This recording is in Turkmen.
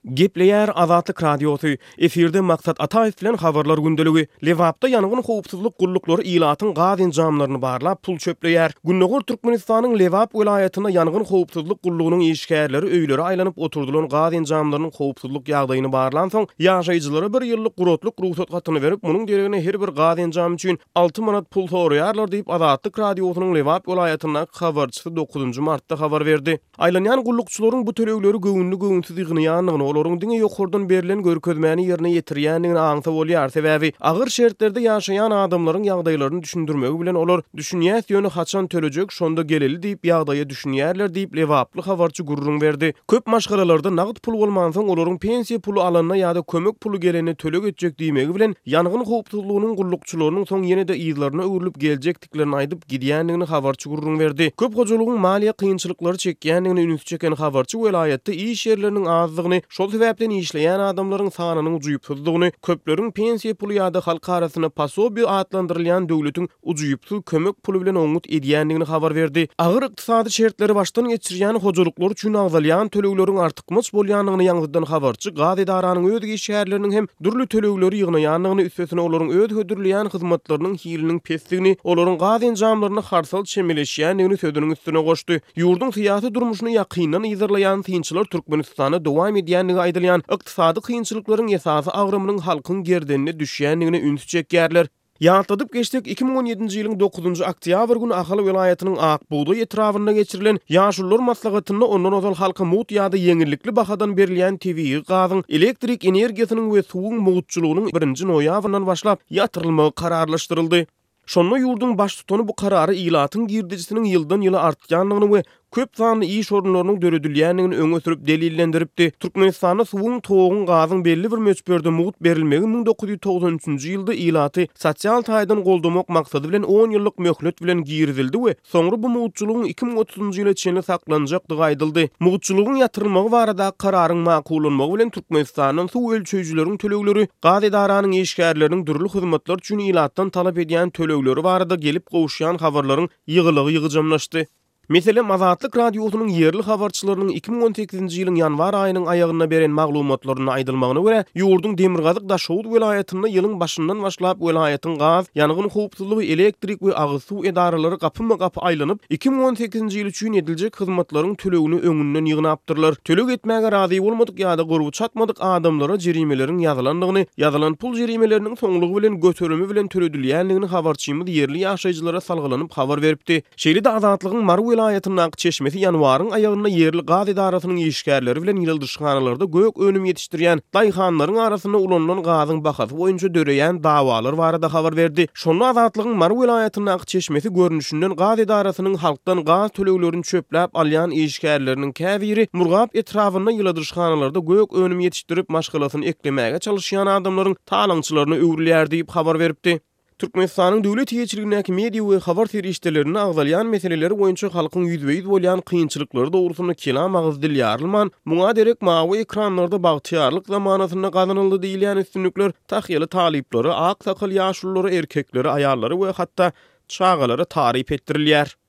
Gepleýär Azatlyk Radiosy, efirde Maksat Ataýew bilen Habarlar gündeligi. Lebapda ýangyn howpsuzlyk gulluklary ilatyň gaz enjamlaryny barlap, pul çöpleýär. Gündogar Türkmenistanyň Lebap welaýatynda ýangyn howpsuzlyk gullugynyň işgärleri öýlere aýlanyp oturdylan gaz enjamlarynyň howpsuzlyk ýagdaýyny barlansoň, ýaşaýjylara bir ýyllyk guratlyk rugsat hatyny berip, munuň deregine her bir gaz enjamy üçin 6 manat pul soraýarlar diýip, Azatlyk Radiosynyň Lebap welaýatyndaky habarçysy dokuzynjy martda habar berdi. Aýlanýan gullukçylaryň bu tölegleri göwünli-göwünsiz ýygnaýandygyny, olaryň diňe ýokardan berlen görkezmäni ýerine ýetirýändigini aňsa bolýar. Sebäbi, agyr şertlerde ýaşaýan adamlaryň ýagdaýlaryny düşündirmegi bilen olar, Düşünýäs, ýöne haçan tölejek, şonda geleli diýip, ýagdaýa düşünýärler diýip, lebaply habarçy gürrüň berdi. Köp maşgalalarda nagt pul bolmansoň, olaryň pensiýa puly alanda ýa-da kömek puly gelende töleg etjek diýmegi bilen, ýangyn howpsuzlygynyň gullukçylarynyň soň ýene-de yzlaryna öwrülip geljekdiklerini etdiklerini aýdyp, gidýändigini habarçy gürrüň berdi. Köp hojalygyň maliýe kynçylyklary çekýändigine ünsi çeken habarçy welaýatda iş ýerleriniň azdygyny, şol sebäpden işleýän adamlaryň sanynyň ujypsyzdygyny, köpleriň pensiýa puly ýa-da halk arasynda posobiýe atlandyrylýan döwletiň ujypsyz kömek puly bilen oňňut edýändigini habar berdi. Agyr ykdysady şertleri başdan geçirýän hojalyklar üçin agzalýan tölegleriň artykmaç bolýandygyny ýaňzydan habarçy gaz edaranyň öz işgärleriniň hem dürli tölegleri ýygnaýandygyny, üstesine olaryň öz hödürleýän hyzmatlarynyň hiliniň pesdigini, olaryň gaz enjamlaryna harsal çemeleşýändigini sözüniň üstüne goşdy. Ýurduň syýasy durmuşyny ýakyndan yzarlaýan synçylar Türkmenistanda dowam edýändigi aýdylýan ykdysady kynçylyklaryň esasy agramynyň halkyň gerdenine düşýändigine ünsi çekýärler. Ýatladyp geçsek, 2017-nji ýylyň dokuzynjy oktýabr güni Ahal welaýatynyAk bugdaý etrabynda geçirilen Ýaşulular maslahatynda ondan ozal halka mugt ýa-da ýeňillikli bahadan berilýän tebigy gazyň, elektrik energiýasynyň we suwuň mugtçulygynyň birinji noýabryndan başlap ýatyrylmagy kararlaşdyryldy. Şonda ýurduň Baştutany bu karary ilatyň girdejisiniň ýyldan-ýyla artýandygyny we köp sanly iş orunlarynyň döredilýändigini öňe sürüp delillendiripdi. Türkmenistanda suwuň, toguň, gazyň belli bir möçberde mugt berilmegi 1993-nji ýylda ilaty sosial taýdan goldamak maksady bilen on ýyllyk möhlet bilen girizildi we soňra bu mugtçulygyň 2030-njy ýyla çenli saklanjakdygy aýdyldy. Mugtçulygyň ýatyrylmagy baradaky kararyň makullanmagy bilen Türkmenistandan suw ölçeýjileriň tölegleri, gaz edaranyň işgärleriniň dürli hyzmatlar üçin ilatdan talap edýän tölegleri barada gelip gowuşýan habarlaryň ýygylygy ýygjamlaşdy. Meselem, Azatlyk Radiosynyň ýerli habarçylarynyň 2018-nji ýylyň ýanwar aýynyň aýagynda beren maglumatlarynda aýdylmagyna görä, ýurduň demirgazyk Daşoguz welaýatynda ýylyň başyndan başlap welaýatyň gaz, ýangyn howpsuzlygy, elektrik we agyz suw edaralary gapyma-gapy aýlanyp, 2018-nji ýyl üçin ediljek hyzmatlaryň tölegini öňünden ýygnapdyrlar. Töleg etmäge razy bolmadyk ýa-da gurby çatmadyk adamlara jerimeleriň ýazylandygyny, ýazylan pul jerimeleriniň soňlugy bilen göterimi bilen töledilýändigini habarçymyz ýerli ýaşaýjylara salgylanyp habar beripdi. Şeýle-de Azatlygyň Mary welaýatyndaky çeşmesi ýanwaryň aýagynda ýerli gaz edarasynyň işgärleri bilen ýyladyşhanalarda gök önüm ýetişdirýän daýhanlaryň arasynda ulanylan gazyň bahasy boýunça döreýän dawalar barada habar berdi. Şonda Azatlygyň Mary welaýatyndaky çeşmesi görnüşinden gaz edarasynyň halkdan gaz töleglerini çöpläp alýan işgärleriniň käbiri Murgap etrabynda ýyladyşhanalarda gök önüm ýetişdirip maşgalasyny eklemäge çalyşýan adamlaryň talaňçylaryna öwrülýär diýip habar beripdi. Türkmenistanyň döwlet eýeçiligindäki media we habar serişdelerinde agzalýan meseleler boýunça halkyň ýüzbe-ýüz bolýan kynçylyklary dogrusynda kelam agyz dil ýarylman, muňa derek mawy ekranlarda bagtyýarlyk zamanasynda gazanyldy diýilýän üstünlikler tahýaly talyplara, ak sakal ýaşululara, erkeklere, aýallara we hatda çagalara taryp etdirilýär.